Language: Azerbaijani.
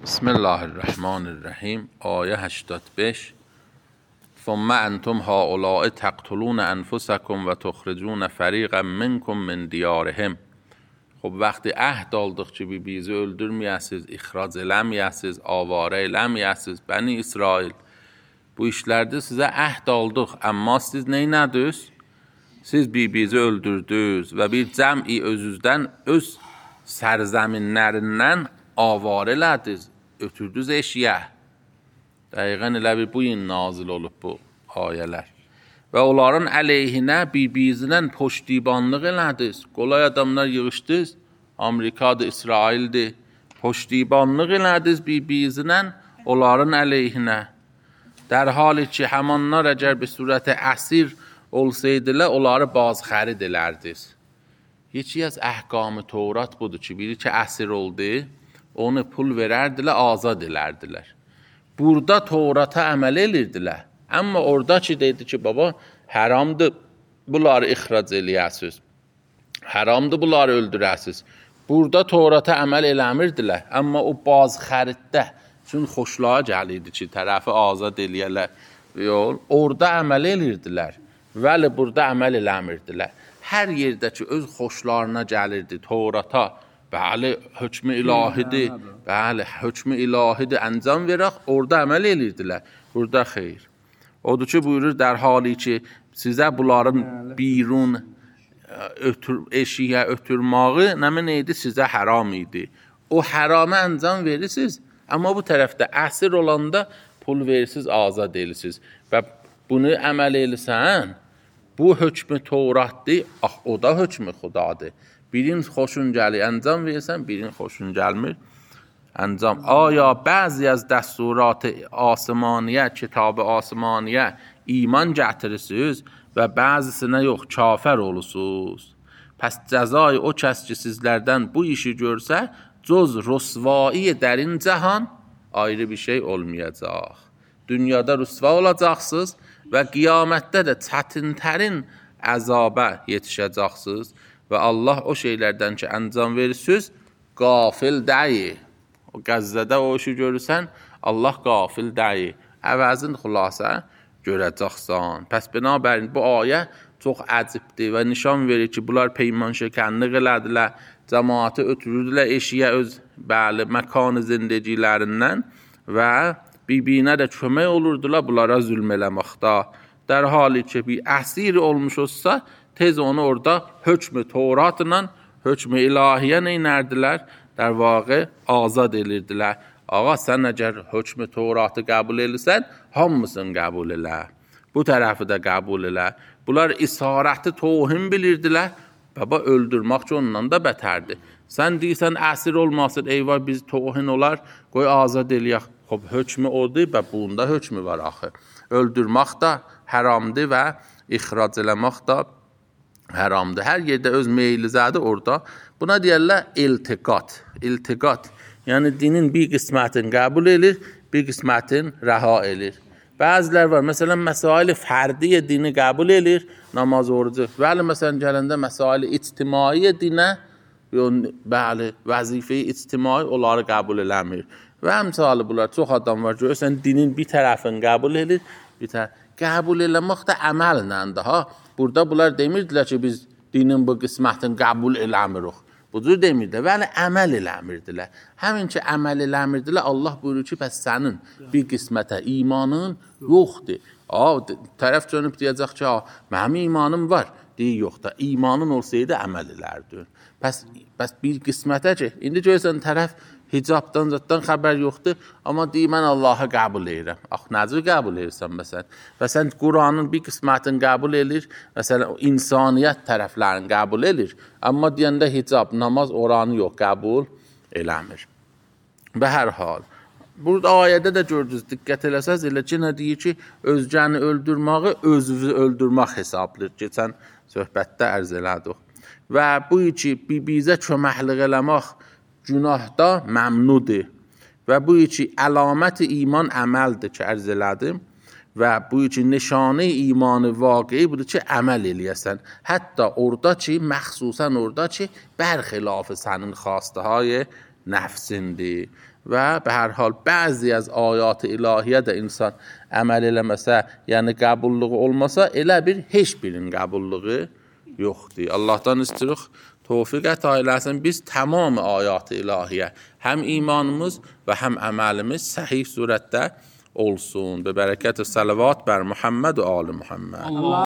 بسم الله الرحمن الرحیم. آیه 85. ثم انتم هؤلاء تقتلون انفسکم و تخرجون فریقا منکم من دیارهم. خب وقتی عهد aldık ki bizi öldürməyəsiz, ixrac eləməyəsiz, avara eləməyəsiz, Bəni İsrail. Bu işlərdə sizə əhd aldıq, amma siz neynədiniz? Siz bizi öldürdünüz və bir cəmi özünüzdən, öz sərzəminlərindən avar elədiniz, ötürdünüz eşiyə. Dəqiqən elə bir bu gün nazil olub bu ayələr. Və onların əleyhinə bizinən poştibanlıq elədiniz. Qolay adamlar yığışdınız, Amerikadır, İsraildir. Poştibanlıq elədiniz bizinən onların əleyhinə. در حالی ki həmanlar əgər bir surətə əsir olsaydılar, onları bazxərid elərdiniz. Heç az əhkamı Tevrat budur ki, biri ki əsir oldu, onu pul verərdilər, azad elərdilər. Burada Tevrata əməl edirdilər. Amma orada ki dedi ki, baba, haramdır bunları ixrac eləyəsiz. Haramdır bunları öldürəsiz. Burada Tevrata əməl eləmirdilər. Amma o bazxəriddə çünki xoşluğa gəlirdi ki, tərəfi azad eləyərlər. Orada əməl edirdilər. Vəli burada əməl eləmirdilər. Hər yerdə ki, öz xoşlarına gəlirdi Tevrata, bəli, hökmü ilahidir, bəli, hökmü ilahidir, əncam verək, orada əməl edirdilər. Burada xeyr. Odur ki, buyurur, در حالی ki, sizə bunların birun eşiyə ötürməyi nəmin idi, sizə haram idi. O haramı əncam verirsiniz. Amma bu tərəfdə əsir olanda pul verirsiniz, azad edirsiniz. Və bunu əməl edirsən, bu hökmü Tevratdır, o da hökmü Xudadır. Birin xoşun gəlir, əncam verirsən, birin xoşun gəlmir, əncam. Aya bəzi az dəsturat asmaniyə, kitab asmaniyə iman gətirirsiniz və bəzisinə yox, kafir olursunuz. Pəs cəzai o kəs ki sizlərdən bu işi görsə, cöz rüsvai dərin cəhan ayrı bir şey olmayacaq. Dünyada rüsva olacaqsınız və qiyamətdə də çətinlərin əzabə yetişəcəksiniz və Allah o şeylərdən ki əncam verirsiniz, qafil deyil. O Qəzzədə o işi görürsən, Allah qafil deyil. Əvəzin xülasə görəcəksən. Pəs binabərin bu ayə çox əcibdir və nişan verir ki, bunlar peyman şəkənlik elədilər. Cəmaatı ötürürdülər eşiyə öz bəli məkan zindəcilərindən və bibinə də kömək olurdular bunlara zülm eləməkdə. در حالی ki bir əsir olmuş olsa, tez onu orada hökmü Tevratla, hökmü ilahiyə neynərdilər? در واقع azad edirdilər. Ağa, sən əgər hökmü Tevratı qəbul edirsən, hamısını qəbul elə. Bu tərəfi də qəbul elə. Bunlar isarəti tohim bilirdilər. Baba öldürmək ki ondan da bətərdir. Sən deyirsən əsir olmasın, eyvah biz tohin olar, qoy azad eləyək. Xob, hökmü odur və bunda hökmü var axı. Öldürmək də haramdır və ixrac eləmək də haramdır. Hər yerdə öz meylizədir orada. Buna deyərlər iltiqat. İltiqat, yəni dinin bir qismətini qəbul edir, bir qismətini rəha edir. Bəzilər var, məsələn, məsail-i fərdiyə dini qəbul edir, namaz orucu. Bəli, məsələn, gələndə məsail-i ictimai dinə, bəli, vəzifə-i ictimai onları qəbul eləmir. Və həmçəli bunlar, çox adam var, görürsən, dinin bir tərəfini qəbul edir, bir tərəf. Qəbul eləmək də əməllə daha. Burada bunlar demirdilər ki, biz dinin bu qismətini qəbul eləmirik. Bu cür demirdilər, vəli əməl eləmirdilər. Həmin ki, əməl eləmirdilər, Allah buyurur ki, bəs sənin bir qismətə imanın yoxdur. Tərəf dönüb deyəcək ki, mənim imanım var. Deyir, yox da, imanın olsaydı əməl elərdin. Bəs bir qismətə ki, indi görürsən, tərəf hicabdan, zətdən xəbər yoxdur, amma deyir, mən Allahı qəbul edirəm. Necə qəbul edirsən, məsələn? Və sən Quranın bir qismətini qəbul edir, məsələn, insaniyyət tərəflərini qəbul edir, amma deyəndə hicab, namaz oranı yox, qəbul eləmir. Və hər hal, burada ayədə də gördünüz, diqqət eləsəz, elə ki, nə deyir ki, özgəni öldürməyi, özünü öldürmək hesablıdır. Keçən söhbətdə ərz elədik. Və bu ki, bizə köməklik eləmək, günahda məmnudur və bu ki əlamət iman əməldir ki ərz elədim və bu ki nişanə imanı vaqi budur ki əməl eləyəsən. Hətta orada ki, məxsusən orada ki bərxilafı sənin xastahay nəfsindir və به hər hal bəzi az ayat ilahiyyə də insan əməl eləməsə, yəni qəbulluğu olmasa, elə bir heç birinin qəbulluğu yoxdur. Allahdan istirik tövfiq əta eləsin. Biz tamam ayat ilahiyyə, həm imanımız və həm əməlimiz səhih surətdə olsun. Be bərəkət salavat bər Muhammed və ali Muhammed.